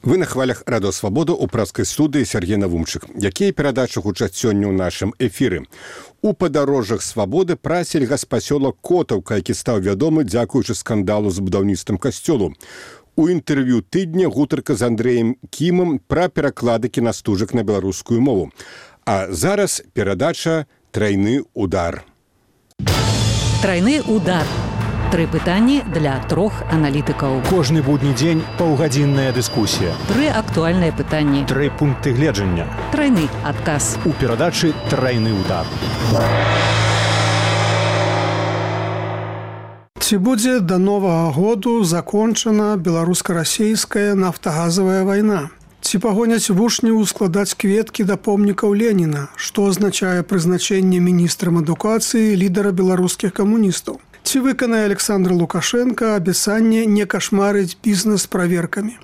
Вы на хвалях Радио Свабода ў праскай студыі Сергей Навумчык. Якія перадачы гучаць сёння ў нашым эфіры? У падарожжах Свабоды пра сельгаспасёлак Котаўка, які стаў вядомы дзякуючы скандалу з будаўніцтвам касцёлу. У інтэрв'ю тыдня гутарка з Андрэем Кімам пра пераклады кінастужак на беларускую мову. А зараз перадача «Трайны удар». «Трайны удар». Тры пытанні для трох аналітыкаў. Кожны будні дзень паўгадзінная дыскусія. Тры актуальныя пытанні. Тры пункты гледжання. Трайны адказ. У перадачы «Трайны удар». Ці будзе да новага году закончана беларуска-расейская нафтагазавая вайна? Ці пагоняць вучняў складаць кветкі да помнікаў Леніна, што азначае прызначэнне міністрам адукацыі лідара беларускіх камуністаў? Ці выканае Александр Лукашенко абяцанне не кашмарыць бізнес праверкамі?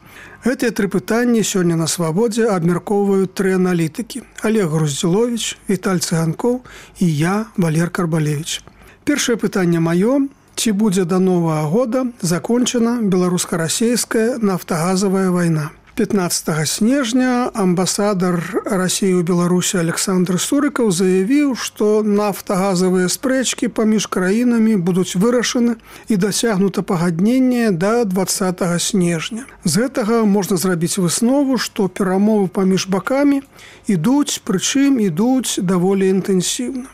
Гэтыя тры пытанні сёння на Свабодзе абмяркоўваюць тры аналітыкі: Олег Груздзіловіч, Віталь Цыганкоў і я, Валер Карбалевіч. Першае пытанне маё: ці будзе да новага года закончана беларуска-расейская нафтагазавая вайна? 15 снежня амбасадар Расіі ў Беларусі Александр Сурыкаў заявіў, што нафтагазавыя спрэчкі паміж краінамі будуць вырашаны і дасягнута пагадненне да 20 снежня. З гэтага можна зрабіць выснову, што перамовы паміж бакамі ідуць, прычым ідуць даволі інтэнсіўна.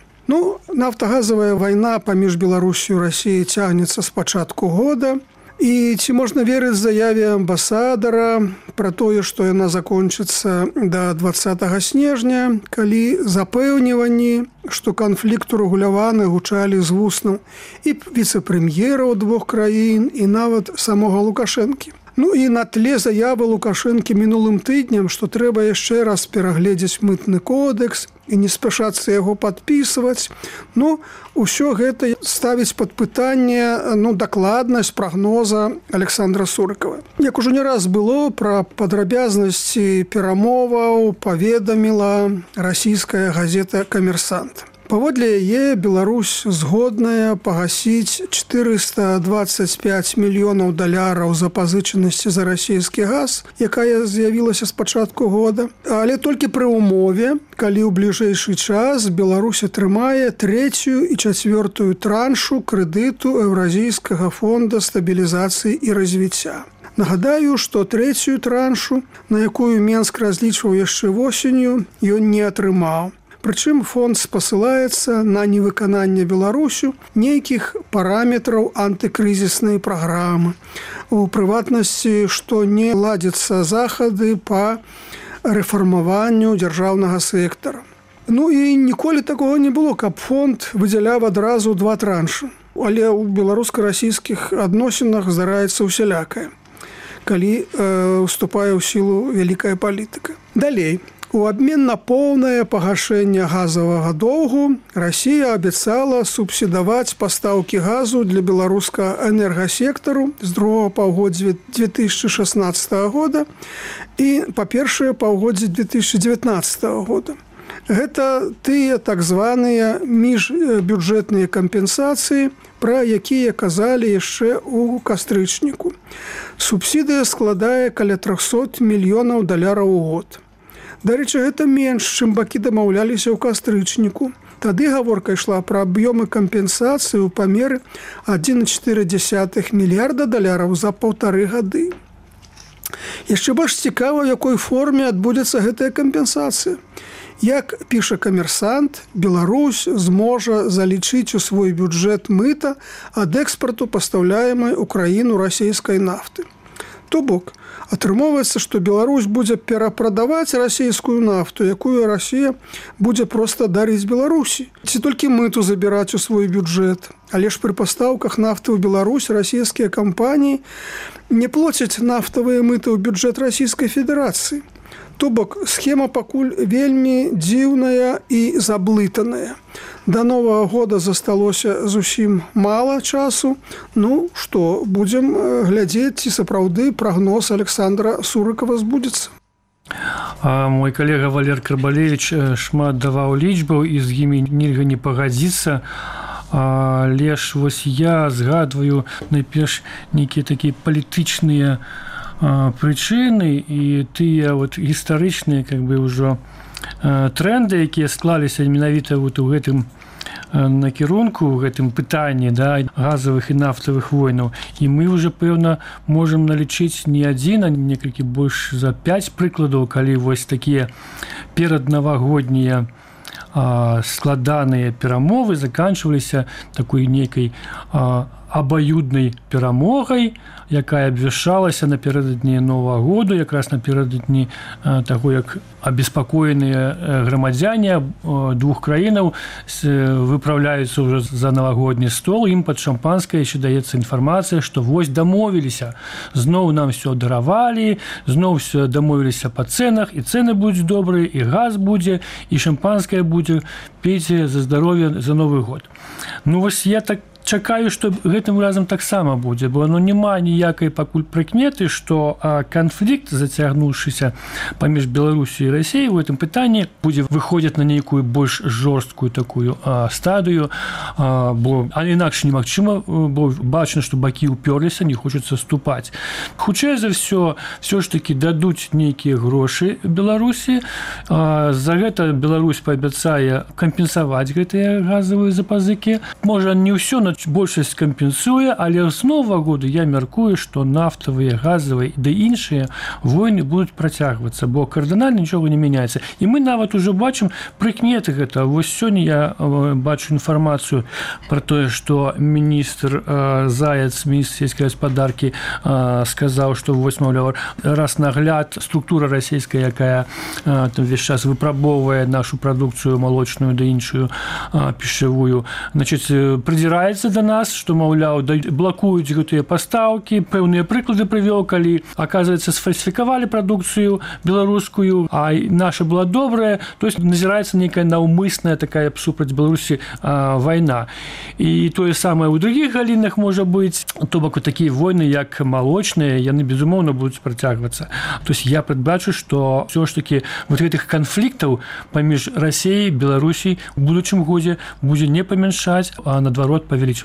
Нафтагазавая вайна паміж Беларусю і Расіяй цягнецца з пачатку года. І ці можна верыць заяве амбасадара пра тое, што яна закончыцца да 20 снежня, калі запэўніванні, што канфлікт урэгуляваны, гучалі з вуснаў і віцэ-прэм'ераў двух краін, і нават самога Лукашэнкі. І на тле заявы Лукашэнкі мінулым тыднем, што трэба яшчэ раз перагледзець мытны кодекс і не спяшацца яго падпісваць. Усё гэта ставіць пад пытанне дакладнасць прагноза Александра Сурыкава. Як ужо не раз было, пра падрабязнасці перамоваў паведаміла расійская газета «Камерсант». Паводле яе Беларусь згодная пагасіць 425 мільёнаў даляраў запазычанасці за расійскі газ, якая з'явілася з пачатку года, але толькі пры ўмове, калі ў бліжэйшы час Беларусь атрымае 3-ю і 4-ю траншу крэдыту Еўразійскага фонда стабілізацыі і развіцця. Нагадаю, што 3-ю траншу, на якую Менск разлічваў яшчэ восенню, ён не атрымаў. Прычым фонд спасылаецца на невыкананне Беларусю нейкіх параметраў антыкрызіснай праграмы. У прыватнасці, што не ладзяцца захады па рэфармаванню дзяржаўнага сектара. І ніколі такога не было, каб фонд выдзяляў адразу 2 траншы. Але ў беларуска-расійскіх адносінах здараецца усялякае, калі уступае ў сілу вялікая палітыка. Далей. У абмен на поўнае пагашэнне газавага доўгу Расія абяцала субсідаваць пастаўкі газу для беларускага энергасектару з другога паўгоддзя 2016 года і па першае паўгоддзя 2019 года. Гэта тыя так званыя міжбюджэтныя кампенсацыі, пра якія казалі яшчэ ў кастрычніку. Субсідыя складае каля 300 мільёнаў даляраў у год. Дарэчы, гэта менш, чым бакі дамаўляліся ў кастрычніку. Тады гаворка ішла пра аб'ёмы кампенсацыі ў памеры 1,4 мільярда даляраў за 1,5 гады. Яшчэ больш цікава, у якой форме адбудзецца гэтая кампенсацыя. Як піша «Камерсант», Беларусь зможа залічыць у свой бюджэт мыта ад экспарту пастаўляемай у краіну расійскай нафты. То бок, атрымоўваецца, што Беларусь будзе перапрадаваць расійскую нафту, якую Расія будзе проста дарыць Беларусі. Ці толькі мыту забіраць у свой бюджэт. Але ж пры пастаўках нафты ў Беларусь расійскія кампаніі не плоцяць нафтавыя мыты ў бюджэт Расійскай Федэрацыі. То бок, схема пакуль вельмі дзіўная і заблытаная. Да новага года засталося зусім мала часу. Што, будзем глядзець, ці сапраўды прагноз Александра Сурыкава збудзецца. Мой калега Валер Карбалевіч шмат даваў лічбаў, і з імі нельга не пагадзіцца. Але ж я згадваю найперш нейкія такія палітычныя прычыны і тыя гістарычныя ўжо тренды, якія склаліся менавіта у гэтым накірунку, у гэтым пытанні газавых і нафтавых войнаў. І мы ўжо, пэўна, можам налічыць не адзін, а некалькі больш за 5 прыкладаў, калі вось такія пераднавагоднія складаныя перамовы заканчваліся такой нейкай абаюднай перамогай, якая абвяшчалася напярэдадні Новага году, якраз напярэдадні таго, як абеспакоеныя грамадзяне двух краінаў выпраўляюцца ўжо за навагодні стол, ім пад шампанскае яшчэ даецца інфармацыя, што вось дамовіліся, зноў нам все даравалі, зноў все дамовіліся па цэнах, і цэны будуць добрыя, і газ будзе, і шампанскае будзе, пейце за здароўе за Новы год. Вось я так чакаю, што гэтым разам таксама будзе, бо няма ніякай пакуль прыкметы, што канфлікт, зацягнуўшыся паміж Беларусю і Расіяй у гэтым пытанні будзе выходзіць на нейкую больш жорсткую такую стадыю, бо інакш немагчыма, бо бачна, што бакі ўпёрліся, не хочуць саступаць. Хутчэй за ўсё ж такі дадуць нейкія грошы Беларусі, за гэта Беларусь паабяцае кампенсаваць гэтыя газавыя запазыкі. Можа, не ўсё, но большасць кампенсуе, але з Новага году я мяркую, што нафтавыя, газавыя ды іншыя войны будуць працягвацца, бо кардынальна нічога не мяняецца. І мы нават ужо бачым прыкметы гэта. Вось сёння я бачу інфармацыю пра тое, што міністр Заяц, міністр сельскай гаспадаркі, сказаў, што вось, маўляў, раз нагляд структура расійская, якая увесь час выпрабоўвае нашу прадукцыю малочную ды іншую пішавую, прыдзіраецца да нас, што, маўляў, блакуюць гэтыя пастаўкі. Пэўныя прыклады прывёў, калі, аказваецца, сфальсіфікавалі прадукцыю беларускую, а наша была добрая, то есть назіраецца нейкая наўмысная такая супраць Беларусі вайна. І тое самае ў другіх галінах можа быць, то бок такія войны, як малочныя, яны, безумоўна, будуць працягвацца. То есть я прадбачу, што ўсё ж такі вот гэтых канфліктаў паміж Расіяй і Беларусій у будучым годзе будзе не памяншаць, а наадварот павялічвацца.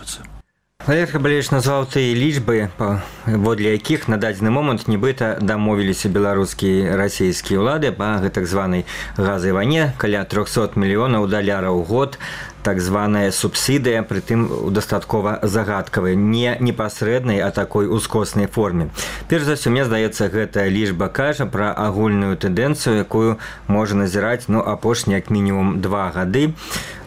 Валерий Карбалевич назваў тыя лічбы, паводле якіх на дадзены момант нібыта дамовіліся беларускія і расійскія ўлады па гэтак званай газавай вайне, каля 300 мільёнаў даляраў у год, так званая субсідыя, прытым дастаткова загадкавай, не непасрэднай, а такой ускоснай форме. Перш за ўсё, мне здаецца, гэтая лічба кажа пра агульную тэндэнцыю, якую можа назіраць апошнія як мінімум 2 гады,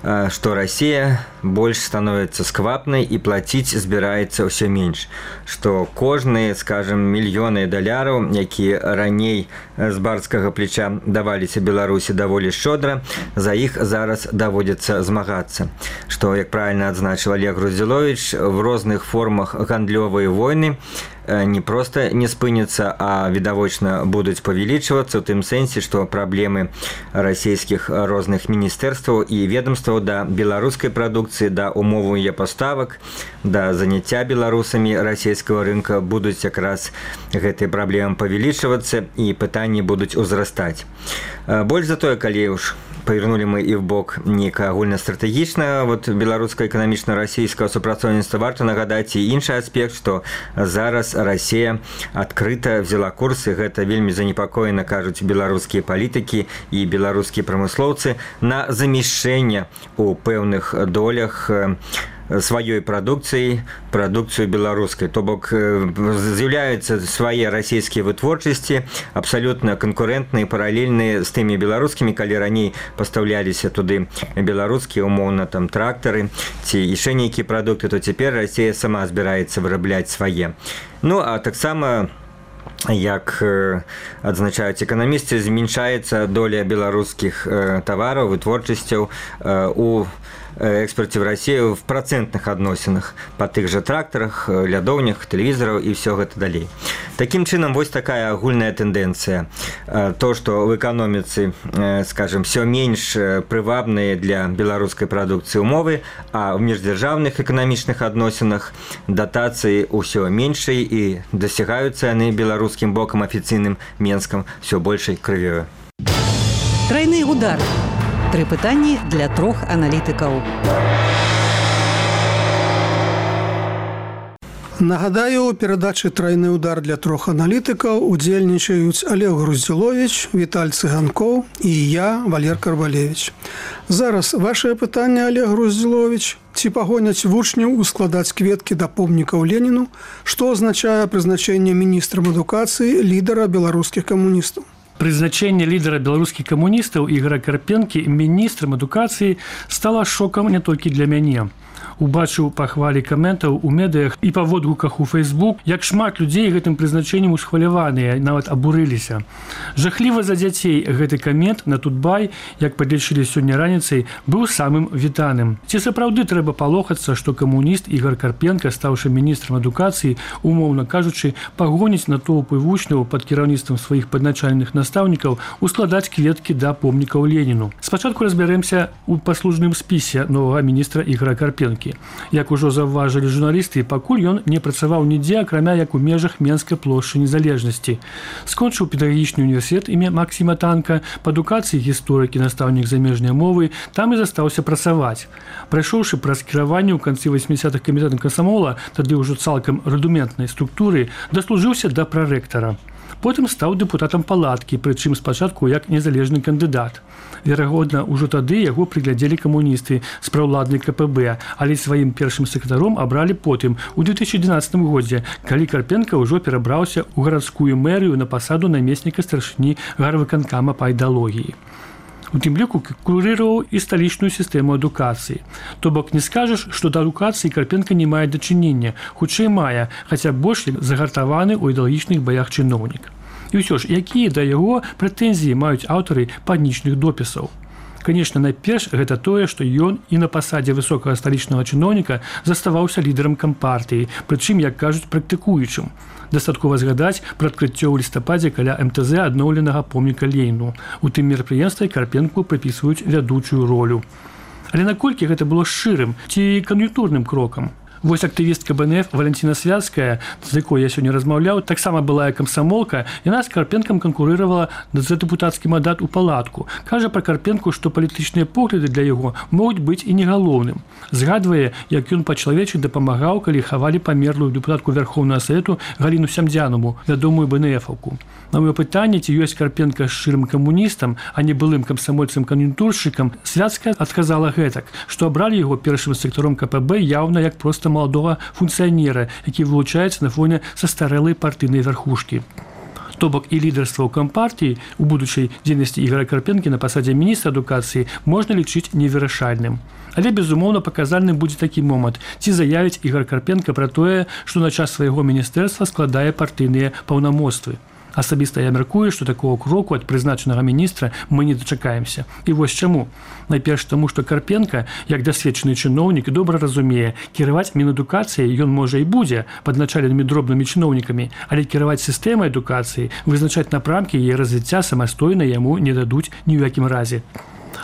што Расія больш становіцца сквапнай і плаціць збіраецца ўсё менш. Што кожныя, скажем, мільёны даляраў, якія раней з барскага плеча даваліся Беларусі даволі шчодра, за іх зараз даводзіцца змагацца. Што, як правільна адзначыў Олег Груздзіловіч, в розных формах гандлёвыя войны не проста не спыняцца, а відавочна будуць павялічвацца, у тым сэнсе, што праблемы расійскіх розных міністэрстваў і ведомстваў да беларускай прадукцыі, да умоваў яе паставак, да заняцця беларусамі расійскага рынка будуць якраз гэтыя праблемы павялічвацца і пытанні будуць узрастаць. Больш за тое, калі ўж павернулі мы і в бок нейкага агульнастратэгічнага беларуска-эканамічна-расійскага супрацоўніцтва, варта нагадаць і іншы аспект, што зараз Расія адкрыта взяла курс, і гэта вельмі занепакоена, кажуць беларускія палітыкі і беларускія прамыслоўцы, на замяшчэнне у пэўных долях сваёй прадукцыю беларускай. То бок з'яўляюцца свае расійскія вытворчасці, абсалютна канкурэнтныя, паралельныя з тымі беларускімі, калі раней пастаўляліся туды беларускія, умоўна, там трактары ці яшчэ нейкія прадукты, то цяпер Расія сама збіраецца вырабляць свае. А таксама, як адзначаюць эканамісты, змяншаецца доля беларускіх тавараў, вытворчасцяў у экспорте в Россию в процентных адносінах па тых жа трактарах, лядоўнях, тэлевізараў і ўсё гэта далей. Такім чынам, вось такая агульная тэндэнцыя. То, што в эканоміцы, скажем, все менш прывабныя для беларускай прадукцыі умовы, а в міждзяржаўных эканамічных адносінах датацыі ўсё меншай і дасягаюцца яны беларускім бокам афіцыйным Менскам все большай крывёю. Трайны удар. 3 пытанні для 3 аналітыкаў. Нагадаю, у перадачы «Трайны удар» для трох аналітыкаў удзельнічаюць Олег Груздзіловіч, Віталь Цыганкоў і я, Валер Карбалевич. Зараз вашае пытанне, Олег Груздзіловіч. Ці пагоняць вучняў ускладаць кветкі да помнікаў Леніну, што азначае прызначэнне міністрам адукацыі лідара беларускіх камуністаў? Прызначэнне лідара беларускіх камуністаў Ігора Карпенкі міністрам адукацыі стала шокам не толькі для мяне. Убачыў па хвалі каментаў у медыях і па водгуках у Facebook, як шмат людзей гэтым прызначэннем усхваляваныя, нават абурыліся. Жахліва за дзяцей гэты камент на Тутбай, як падлічылі сёння раніцай, быў самым вітаным. Ці сапраўды трэба палохацца, што камуніст Ігор Карпенка, стаўшы міністрам адукацыі, умоўна кажучы, пагоніць натоўпы вучняў пад кіраўніцтвам сваіх падначальных настаўнікаў ускладаць кветкі да помнікаў Леніну. Спачатку разбярэмся ў паслужным спісе новага міністра Ігора Карпенкі. Як ужо заўважылі журналісты, пакуль ён не працаваў нідзе, акрамя як у межах Менскай плошчы Незалежнасці. Скончыў педагагічны універсітэт імя Максіма Танка, па адукацыі гісторык і настаўнік замежнай мовы, там і застаўся працаваць. Прайшоўшы праз кіраванне ў канцы 80-х камітэтам камсамола, тады ўжо цалкам рудыментнай структуры, даслужыўся да прарэктара. Потым стаў дэпутатам палаткі, прычым спачатку як незалежны кандыдат. Верагодна, ужо тады яго прыглядзелі камуністы з праўладнай КПБ, але сваім першым сакратаром абралі потым, у 2011 годзе, калі Карпенка ўжо перабраўся ў гарадскую мэрыю на пасаду намесніка старшыні гарвыканкама па ідэалогіі. У тым ліку курыраваў і сталічную сістэму адукацыі. То бок не скажаш, што да адукацыі Карпенка не мае дачынення, хутчэй мае, хаця больш загартаваны ў ідэалагічных баях чыноўнік. І ўсё ж, якія да яго прэтэнзіі маюць аўтары панічных допісаў? Канешне, найперш гэта тое, што ён і на пасадзе высокага сталічнага чыноўніка заставаўся лідарам кампартыі, прычым, як кажуць, практыкуючым. Дастаткова згадаць пра адкрыццё ў лістападзе каля МТЗ адноўленага помніка Леніну. У тым мерапрыемстве Карпенку прыпісваюць вядучую ролю. Але наколькі гэта было шчырым ці кан'юнктурным крокам? Вось актывістка БНФ Валентина Святская, з якой я сёння размаўляў, таксама былая камсамолка, яна з Карпенкам канкурыравала за дэпутацкі мандат у палатку. Кажа пра Карпенку, што палітычныя погляды для яго могуць быць і не галоўным. Згадвае, як ён па-чалавечы дапамагаў, калі хавалі памерлую дэпутатку Верховнага Савету Галіну Сямдзянаву, вядомую БНФаўку. На маё пытанне, ці ёсць Карпенка шчырым камуністам, а не былым камсамольцам-кан'юнктуршчыкам, Святская адказала гэтак, што абралі яго першым сектаром КПБ яўна як проста маладога функцыянера, які вылучаецца на фоне састарэлай партыйнай вярхушкі. То бок і лідарства ў кампартыі у будучай дзейнасці Ігора Карпенкі на пасадзе міністра адукацыі можна лічыць невырашальным. Але, безумоўна, паказальным будзе такі момант, ці заявіць Ігор Карпенка пра тое, што на час свайго міністэрства складае партыйныя паўнамоцтвы. Асабіста я мяркую, што такого кроку ад прызначанага міністра мы не дачакаемся. І вось чаму. Найперш таму, што Карпенка, як дасведчаны чыноўнік, добра разумее, кіраваць мінадукацыяй ён можа і будзе падначаленымі дробнымі чыноўнікамі, але кіраваць сістэмай адукацыі, вызначаць напрамкі яе развіцця самастойна яму не дадуць ні ў якім разе.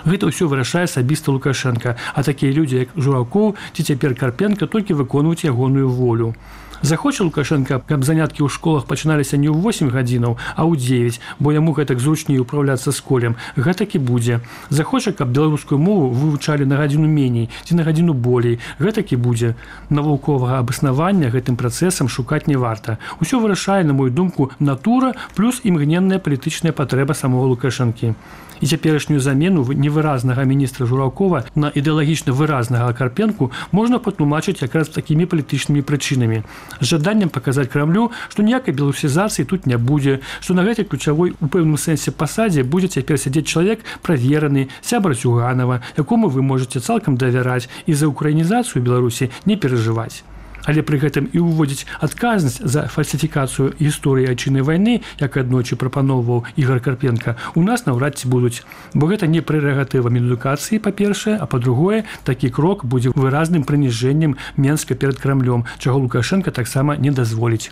Гэта ўсё вырашае асабіста Лукашенка, а такія людзі, як Журакоў ці цяпер Карпенка, толькі выконваюць ягоную волю. Захоча Лукашенка, каб заняткі ў школах пачыналіся не ў 8 гадзінаў, а ў 9, бо яму гэтак зручней управляцца з колем. Гэтак і будзе. Захоча, каб беларускую мову вывучалі на гадзіну меней ці на гадзіну болей. Гэтак і будзе. Навуковага абаснавання гэтым працэсам шукаць не варта. Усё вырашае, на мою думку, натура плюс імгненная палітычная патрэба самого Лукашэнкі. І цяперашнюю замену невыразнага міністра Журакова на ідэалагічна выразнага Карпенку можна патлумачыць якраз такімі палітычнымі прычынамі. З жаданнем паказаць Крамлю, што ніякай беларусізацыі тут не будзе, што на гэтай ключавой у пэўным сэнсе пасадзе будзе цяпер сядзець чалавек правераны, сябар Зюганова, якому вы можаце цалкам давяраць і за украінізацыю Беларусі не перажываць. Але пры гэтым і ўводзіць адказнасць за фальсіфікацыю гісторыі айчыннай вайны, як аднойчы прапаноўваў Ігор Карпенка, у нас наўрад ці будуць. Бо гэта не прэрагатыва мінадукацыі, па-першае, а па-другое, такі крок будзе выразным прыніжэннем Менска перад Крамлём, чаго Лукашенка таксама не дазволіць.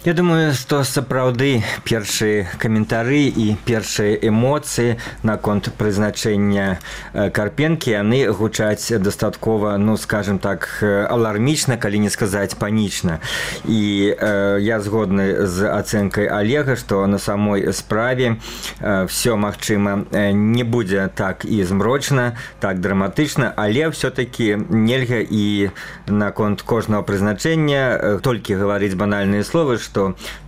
Я думаю, што сапраўды першыя каментары і першыя эмоцыі наконт прызначэння Карпенкі, яны гучаць дастаткова, ну, скажем так, алармічна, калі не сказаць панічна. І я згодны з ацэнкай Олега, што на самой справе все, магчыма, не будзе так і змрочна, так драматычна, але все-таки нельга і наконт кожнага прызначэння толькі гаварыць банальныя словы, што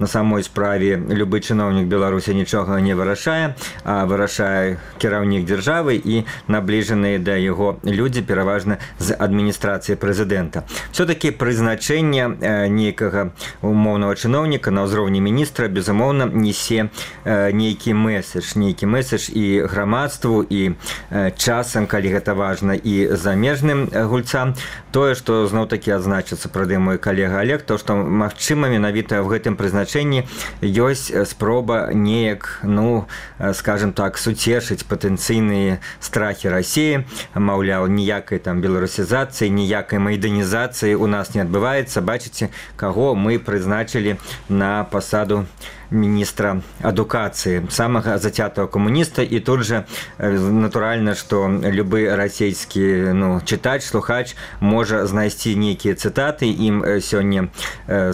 на самой справе любы чыноўнік Беларусі нічога не вырашае, а вырашае кіраўнік дзяржавы і набліжаныя да яго людзі, пераважна з адміністрацыі прэзідэнта. Все-таки прызначэнне нейкага умоўнага чыноўніка на ўзроўні міністра, безумоўна, несе нейкі месседж і грамадству, і часам, калі гэта важна, і замежным гульцам. Тое, што зноў-такі адзначыцца прады мой калега Олег, то, што, магчыма, менавіта ў гэтым прызначэнні ёсць спроба неяк, ну, скажем так, суцешыць патэнцыйныя страхі Расіі. Маўляў, ніякай там беларусізацыі, ніякай майданізацыі у нас не адбываецца. Бачыце, каго мы прызначылі на пасаду міністра адукацыі, самага зацятого камуніста. І тут жа, натуральна, што любы расійскі, ну, чытач, слухач можа знайсці нейкія цытаты, ім сёння,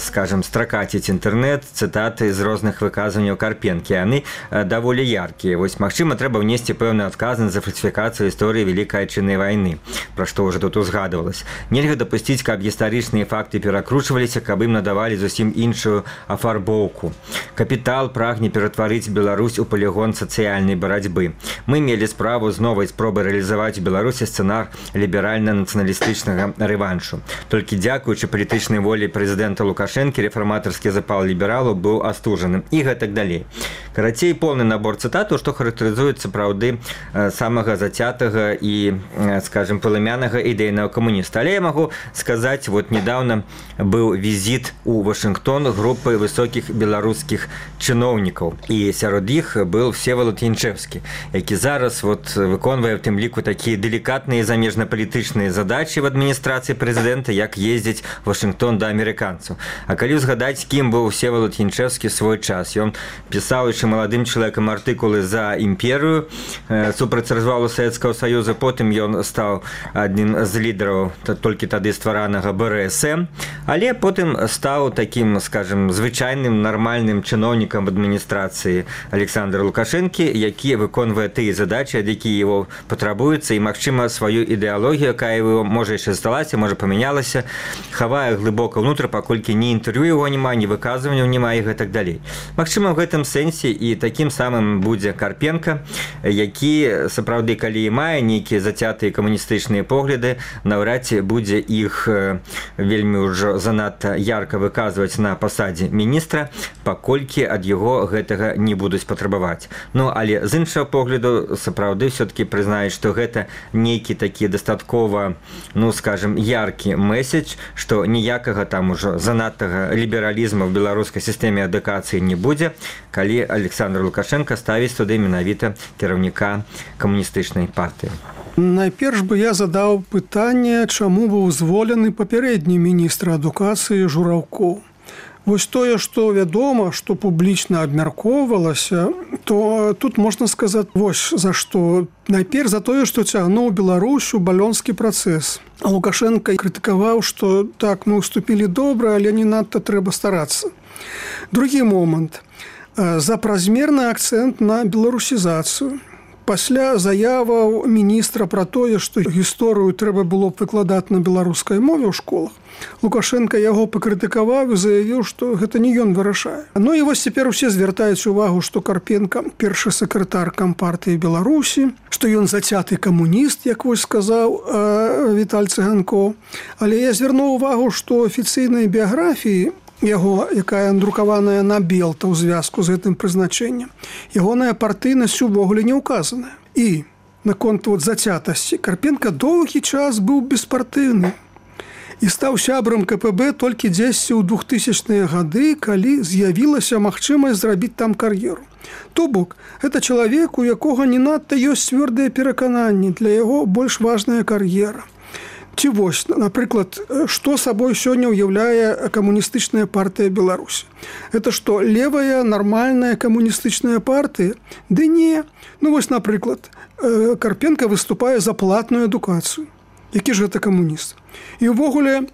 скажем, стракаціць інтэрнэт, цытаты з розных выказванняў Карпенкі. Яны даволі яркія. Вось, магчыма, трэба внесці пэўную адказнасць за фальсіфікацыю гісторыі Вялікай Адчыннай вайны, пра што ўжо тут узгадвалася. Нельга дапусціць, каб гістарычныя факты перакручваліся, каб ім надавалі зусім іншую афарбоўку. Капітал прагне ператварыць Беларусь у палігон сацыяльнай барацьбы. Мы мелі справу з новай спробай рэалізаваць у Беларусі сцэнар ліберальна-нацыяналістычнага рэваншу. Толькі дзякуючы палітычнай волі прэзідэнта Лукашэнкі рэфарматарскі запал лібералаў быў астужаным і гэтак далей. Карацей, поўны набор цытатаў, што характарызуецца сапраўды самага зацятага і, скажем, палымянага ідэйнага камуніста. Але я магу сказаць, вот недавно быў візіт у Вашынгтон групы высокіх беларускіх чыноўнікаў, і сярод іх быў Всеволод Янчэўскі, які зараз вот выконвае в тым ліку такія делікатныя замежнапалітычныя задачы в адміністрацыі прэзідэнта, як ездзіць Вашынгтон да амерыканцаў. А калі ўзгадаць, кім быў Всеволод Янчэўскі свой час, ён пісаў яшчэ маладым чалавекам артыкулы за імперыю супраць развалу Савецкага Саюза, потым ён стаў аднім з лідараў толькі тады стваранага БРСМ, але потым стаў такім, скажем, звычайным нармальным чыноўнікам адміністрацыі Александра Лукашэнкі, які выконвае тыя задачы, ад якія его патрабуюцца, і, магчыма, сваю ідэалогію, якая его, можа, яшчэ засталася, можа, памянялася, хавае глыбока ўнутр, паколькі ні інтэрв'ю яго няма, ні выказванняў няма і гэтак далей. Магчыма, в гэтым сэнсе і такім самым будзе Карпенка, які, сапраўды, калі і мае нейкія зацятыя камуністычныя погляды, наўрад ці будзе іх вельмі ўжо занадта ярка выказваць на пасадзе міністра, паколькі ад яго гэтага не будуць патрабаваць. Ну, але з іншага погляду, сапраўды, все-таки прызнаюць, што гэта нейкі такі дастаткова, ну, скажем, яркі месседж, што ніякага там ужо занадтага лібералізму в беларускай сістэме адукацыі не будзе, калі Александр Лукашенко ставіць туды менавіта кіраўніка камуністычнай партыі. Найперш бы я задаў пытанне, чаму быў зволены папярэдні міністр адукацыі Жураўкоў. Вось тое, што вядома, што публічна абмяркоўвалася, то тут можна сказаць вось за што. Найперш за тое, што цягнуў Беларусь у балёнскі працэс. А Лукашенко крытыкаваў, што так, мы ўступілі добра, але не надта трэба старацца. Другі момант. За празмерны акцэнт на беларусізацыю. Пасля заяваў міністра пра тое, што гісторыю трэба было б выкладаць на беларускай мове ў школах, Лукашенко яго пакрытыкаваў і заявіў, што гэта не ён вырашае. Ну і вось цяпер усе звяртаюць увагу, што Карпенка першы сакратар Кампартыі Беларусі, што ён зацяты камуніст, як вось сказаў Віталь Цыганкоў. Але я звярнуў увагу, што афіцыйнай біяграфіі яго, якая друкаваная на Белта ў звязку з гэтым прызначэннем, ягоная партыйнасць увогуле не ўказаная. І наконт зацятасці Карпенка доўгі час быў беспартыйны і стаў сябрам КПБ толькі дзесьці ў 2000-е гады, калі з'явілася магчымасць зрабіць там кар'еру. То бок, гэта чалавек, у якога не надта ёсць цвёрдыя перакананні, для яго больш важная кар'ера. Ці вось, напрыклад, што сабой сёння ўяўляе камуністычная партыя Беларусі? Это што, левая, нармальная камуністычная партыя? Ды не. Ну вось, напрыклад, Карпенка выступае за платную адукацыю. Які ж гэта камуніст? І ўвогуле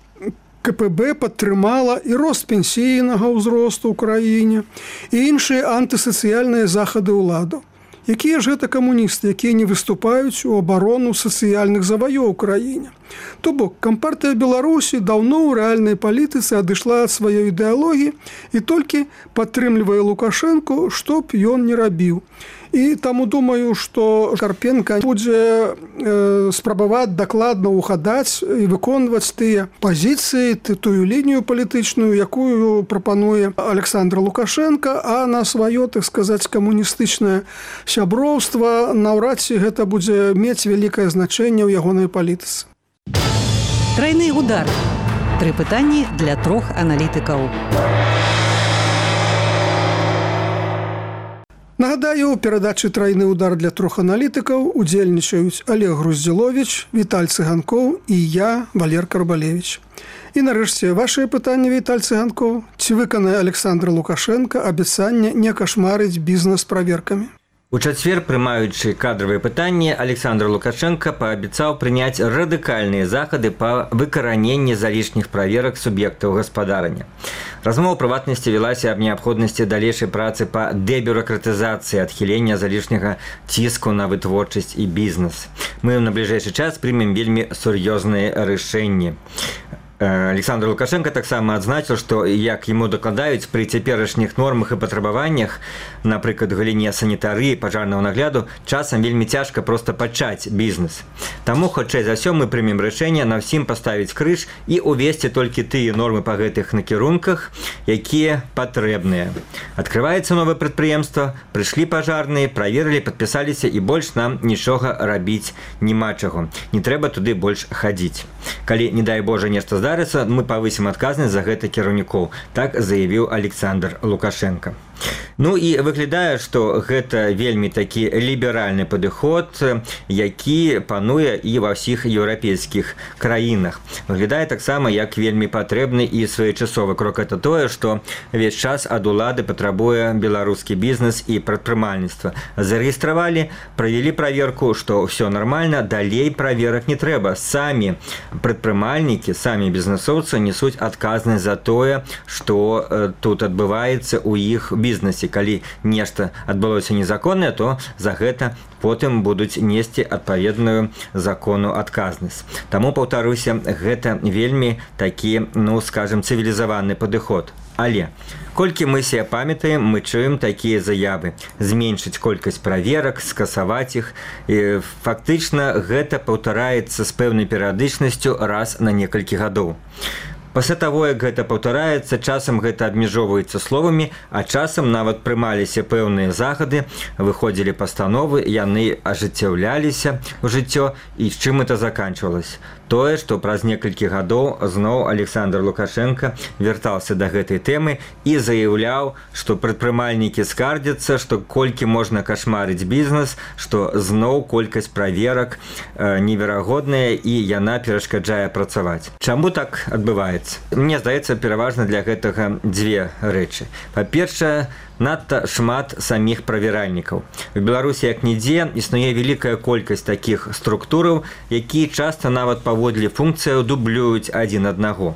КПБ падтрымала і рост пенсійнага ўзросту ў краіне, і іншыя антысацыяльныя захады ўладаў. Якія ж гэта камуністы, якія не выступаюць у абарону сацыяльных заваёў у краіне? То бок, Кампартыя Беларусі даўно ў рэальнай палітыцы адышла ад сваёй ідэалогіі і толькі падтрымлівае Лукашэнку, што б ён не рабіў. І таму думаю, што Карпенка будзе спрабаваць дакладна ўгадаць і выконваць тыя пазіцыі, тую лінію палітычную, якую прапануе Александр Лукашенко, а на сваё, так сказаць, камуністычнае сяброўства наўрад ці гэта будзе мець вялікае значэнне ў ягонай палітыцы. Трайны удар. 3 пытанні для 3 аналітыкаў. Нагадаю, у перадачы «Трайны удар» для 3 аналітыкаў удзельнічаюць Олег Груздзіловіч, Віталь Цыганкоў і я, Валер Карбалевіч. І нарэшце, вашыя пытанні, Віталь Цыганкоў. Ці выканае Александр Лукашенко абяцанне не кашмарыць бізнес праверкамі? У чацвер, прымаючы кадравыя пытанні, Александр Лукашенко паабяцаў прыняць радыкальныя захады па выкараненні залішніх праверак суб'ектаў гаспадарання. Размова ў прыватнасці велася аб неабходнасці далейшай працы па дэбюракратызацыі, адхілення залішняга ціску на вытворчасць і бізнес. Мы на бліжэйшы час прымем вельмі сур'ёзныя рашэнні. Александр Лукашенко таксама адзначыў, што, як яму дакладаюць, пры цяперашніх нормах і патрабаваннях, напрыклад, галіне санітарыі, пажарнага нагляду, часам вельмі цяжка проста пачаць бізнес. Таму, хутчэй за ўсё, мы прымем рашэнне на ўсім паставіць крыж і увесці толькі тыя нормы па гэтых накірунках, якія патрэбныя. Адкрываецца новае прадпрыемства, прыйшлі пажарныя, праверылі, падпісаліся і больш нам нічога рабіць няма чаго. Не трэба туды больш хадзіць. Калі, не дай Божа, нешта здарыцца, мы павысім адказнасць за гэта кіраўнікоў, так заявіў Александр Лукашенко. Ну і выглядае, што гэта вельмі такі ліберальны падыход, які пануе і ва ўсіх еўрапейскіх краінах. Выглядае таксама як вельмі патрэбны і своечасовы крок. Это тое, што ўвесь час ад улады патрабуе беларускі бізнес і прадпрымальніцтва. Зарэгістравалі, правялі праверку, што ўсё нармальна, далей праверак не трэба. Самі прадпрымальнікі, самі бізнесоўцы несуць адказнасць за тое, што тут адбываецца ў іх бізнесе. Калі нешта адбылося незаконнае, то за гэта потым будуць несці адпаведную закону адказнасць. Таму, паўтаруся, гэта вельмі такі, ну, скажем, цывілізаваны падыход. Але, колькі мы себе памятаем, мы чуем такія заявы. Зменшыць колькасць праверак, скасаваць іх. І фактычна гэта паўтараецца з пэўнай перыядычнасцю раз на некалькі гадоў. Пасля таго, як гэта паўтараецца, часам гэта абмяжоўваецца словамі, а часам нават прымаліся пэўныя захады, выходзілі пастановы, яны ажыццяўляліся ў жыццё, і з чым это заканчвалася. Тое, што праз некалькі гадоў зноў Александр Лукашенко вяртаўся да гэтай тэмы і заяўляў, што прадпрымальнікі скардзяцца, што колькі можна кашмарыць бізнес, што зноў колькасць праверак неверагодная і яна перашкаджае працаваць. Чаму так адбываецца? Мне здаецца, пераважна для гэтага дзве рэчы. Па-першае, надта шмат саміх правяральнікаў. У Беларусі як нідзе існуе вялікая колькасць такіх структураў, якія часта нават паводле функцыяў дублююць адзін аднаго.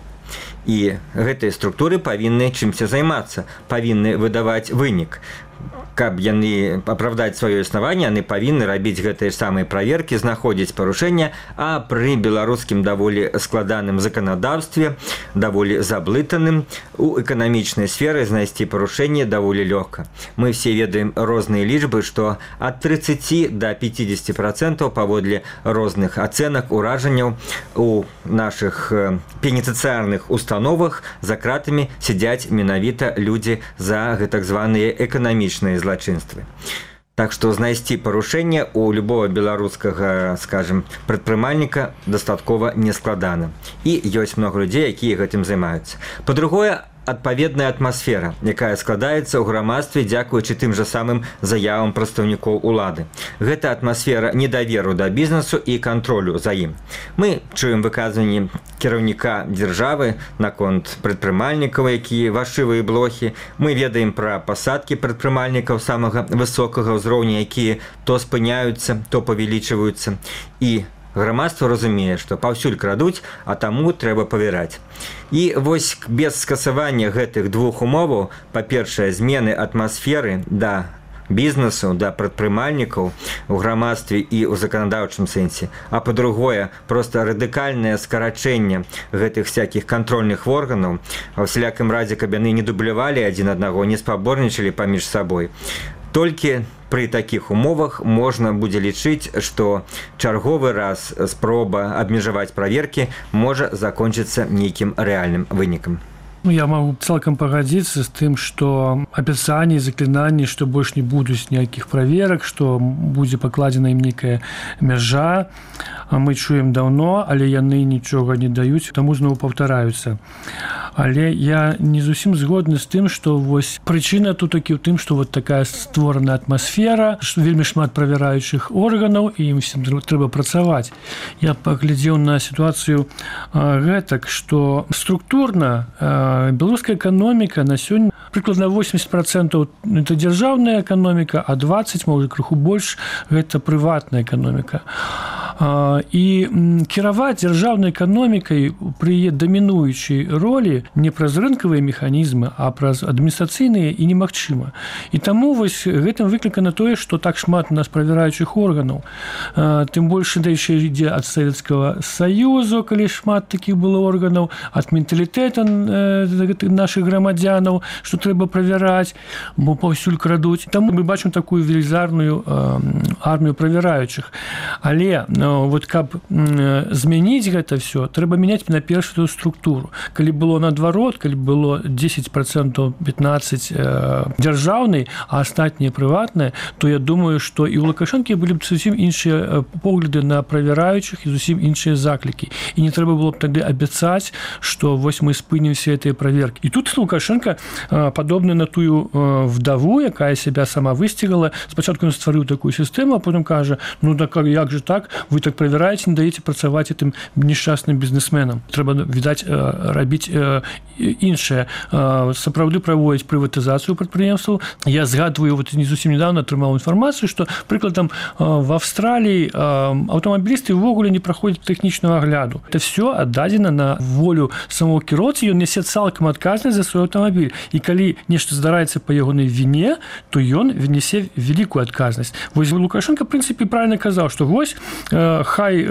І гэтыя структуры павінны чымся займацца, павінны выдаваць вынік. Каб яны апраўдаць сваё існаванне, яны павінны рабіць гэтыя самыя праверкі, знаходзіць парушэння, а пры беларускім даволі складаным заканадаўстве, даволі заблытаным, у эканамічнай сферы знайсці парушэнне даволі лёгка. Мы все ведаем розныя лічбы, што ад 30 до 50% паводле розных ацэнак, уражанняў у нашых пенітэнцыярных установах за кратамі сядзяць менавіта людзі за гэтак званыя эканамічныя злачынствы. Так што знайсці парушэнне у любого беларускага, скажем, прадпрымальніка дастаткова нескладана. І ёсць многа людзей, якія гэтым займаюцца. Па-другое, адпаведная атмасфера, якая складаецца ў грамадстве дзякуючы тым жа самым заявам прадстаўнікоў улады. Гэта атмасфера недаверу да бізнесу і кантролю за ім. Мы чуем выказванні кіраўніка дзяржавы наконт прадпрымальнікаў, якія вашывыя блохі. Мы ведаем пра пасадкі прадпрымальнікаў самага высокага ўзроўня, якія то спыняюцца, то павялічваюцца. І грамадства разумее, што паўсюль крадуць, а таму трэба павяраць. І вось без скасавання гэтых двух умоваў, па-першае, змены атмасферы да бізнесу, да прадпрымальнікаў у грамадстве і ў заканадаўчым сэнсе, а па-другое, проста радыкальнае скарачэнне гэтых всякіх кантрольных органаў, а ўсялякім радзе, каб яны не дублявалі адзін аднаго, не спаборнічалі паміж сабой. Толькі пры такіх умовах можна будзе лічыць, што чарговы раз спроба абмежаваць праверкі можа закончыцца нейкім рэальным вынікам. Я могу цалкам пагадзіцца з тым, што абяцанні, заклінанні, што больш не будуць ніякіх праверак, што будзе пакладзена ім нейкая мяжа. Мы чуем даўно, але яны нічога не даюць, таму зноў паўтараюцца. Але я не зусім згодны з тым, што вось прычына тут такі ў тым, што вот такая створана атмасфера, што вельмі шмат правяраючых органаў, і ім всім трэба працаваць. Я паглядзеў на сітуацыю гэтак, што структурна беларуская эканоміка на сёння прыкладна 80% это дзяржаўная эканоміка, а 20%, можа, крыху больш, гэта прыватная эканоміка. І кіраваць дзяржаўнай эканомікай пры яе дамінуючай ролі не праз рынкавыя механізмы, а праз адміністрацыйныя і немагчыма. І таму вось гэтым выклікана тое, што так шмат у нас правяраючых органаў. Тым больш яшчэ ідзе ад Савецкага Саюзу, калі шмат такіх было органаў, ад менталітэта нашых грамадзянаў, што трэба правяраць, бо паўсюль крадуць. Таму мы бачым такую велізарную армію правяраючых. Але вот каб змяніць гэта все, трэба мяняць на першую структуру. Калі было наадварот, калі было 10%, 15% дзяржаўнай, а астатнія прыватныя, то я думаю, што і ў Лукашэнкі былі б зусім іншыя погляды на правяраючых і зусім іншыя заклікі. І не трэба было б тады абяцаць, што вось мы спынім все гэтыя праверкі. І тут Лукашенко падобны на тую вдаву, якая сябе сама высцігала. Спачатку ён стварыў такую сістэму, а потым кажа: ну так як же так, вы так правяраеце, не даеце працаваць гэтым несчастным бізнесменам. Трэба, відаць, рабіць іншае. Сапраўды праводзіць прыватызацыю прадпрыемстваў. Я згадваю, вот не зусім недавно атрымаў інфармацыю, што, прыкладам, в Австраліі аўтамабілісты ўвогуле не праходзяць тэхнічную агляду. Это все аддадзена на волю самого кіроўцы, ён нясе цалкам адказнасць за свой аўтамабіль. І калі нешта здараецца па ягонай віне, то ён нясе вялікую адказнасць. Вось Лукашенко, в прынцыпе, правильно казаў, што вось хай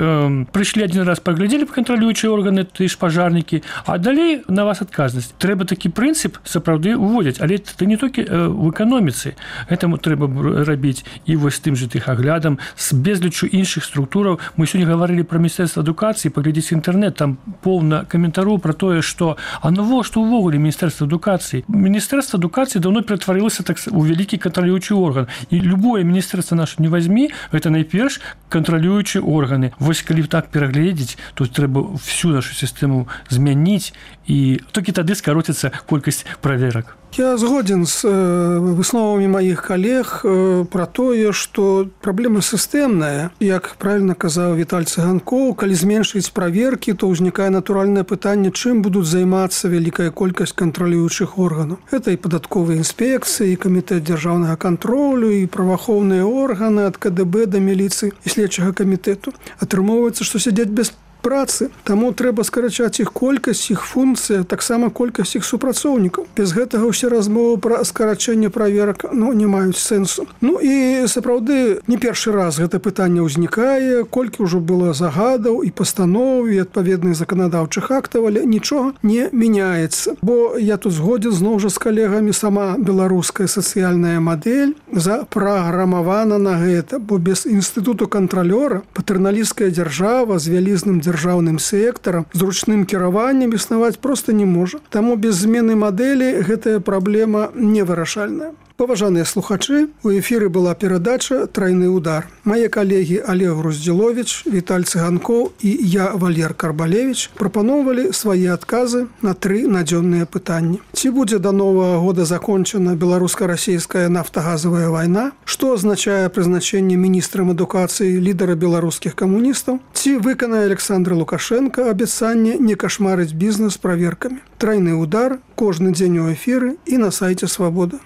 прыйшлі адзін раз, паглядзелі кантралюючыя органы, ты ж пажарнікі, а далей на вас адказнасць. Трэба такі прынцып сапраўды уводзіць, але это не толькі в эканоміцы. Гэтаму трэба рабіць і вось тым же тых аглядам з безлічу іншых структураў. Мы сёння гаварылі пра міністэрства адукацыі, паглядзіце інтэрнэт, там поўна каментароў пра тое, што навошта ўвогуле міністэрства адукацыі. Міністэрства адукацыі даўно ператварылася так у вялікі кантралюючы орган. І любое міністэрства наше не вазьмі, гэта найперш кантралюючыя органы. Вось калі так перагледзець, то трэба всю нашу сістэму змяніць, і толькі тады скароціцца колькасць праверак. Я згоден з высновамі маіх калег пра тое, што праблема сістэмная. Як правильно казаў Віталь Цыганкоў, калі зменшыць праверкі, то ўзнікае натуральнае пытанне, чым будуць займацца вялікая колькасць кантралюючых органаў. Гэта і падатковыя інспекцыі, і камітэт дзяржаўнага кантролю, і праваахоўныя органы ад КДБ да міліцыі і следчага камітэту. Атрымоўваецца, што сядзяць без працы, таму трэба скарачаць іх колькасць, іх функцыя, таксама колькасць іх супрацоўнікаў. Без гэтага ўсе размовы пра скарачэнне праверак не маюць сэнсу. Ну і сапраўды не першы раз гэта пытанне ўзнікае, колькі ўжо было загадаў і пастаноў і адпаведных заканадаўчых актаў, але нічога не мяняецца. Бо я тут згодзен зноў жа з калегамі, сама беларуская сацыяльная мадэль запраграмавана на гэта, бо без інстытуту кантралёра патэрналісцкая дзяржава з вялізным дзяржаўным сектарам, з ручным кіраваннем існаваць проста не можа. Таму без змены мадэлі гэтая праблема невырашальная. Паважаныя слухачы, у эфіры была перадача «Трайны удар». Мае калегі Олег Груздзіловіч, Віталь Цыганкоў і я, Валер Карбалевіч, прапаноўвалі свае адказы на 3 надзённыя пытанні. Ці будзе да новага года закончана беларуска-расійская нафтагазавая вайна? Што азначае прызначэнне міністрам адукацыі лідара беларускіх камуністаў? Ці выканае Александр Лукашенко абяцанне не кашмарыць бізнес праверкамі? «Трайны удар» кожны дзень у эфіры і на сайце «Свабода».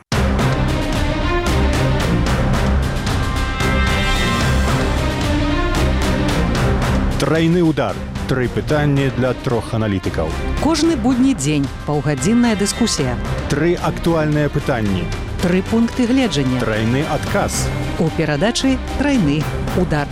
Трайны удар. 3 пытанні для 3 аналітыкаў. Кожны будні дзень паўгадзінная дыскусія. 3 актуальныя пытанні. 3 пункты гледжання. Трайны адказ. У перадачы «Трайны удар».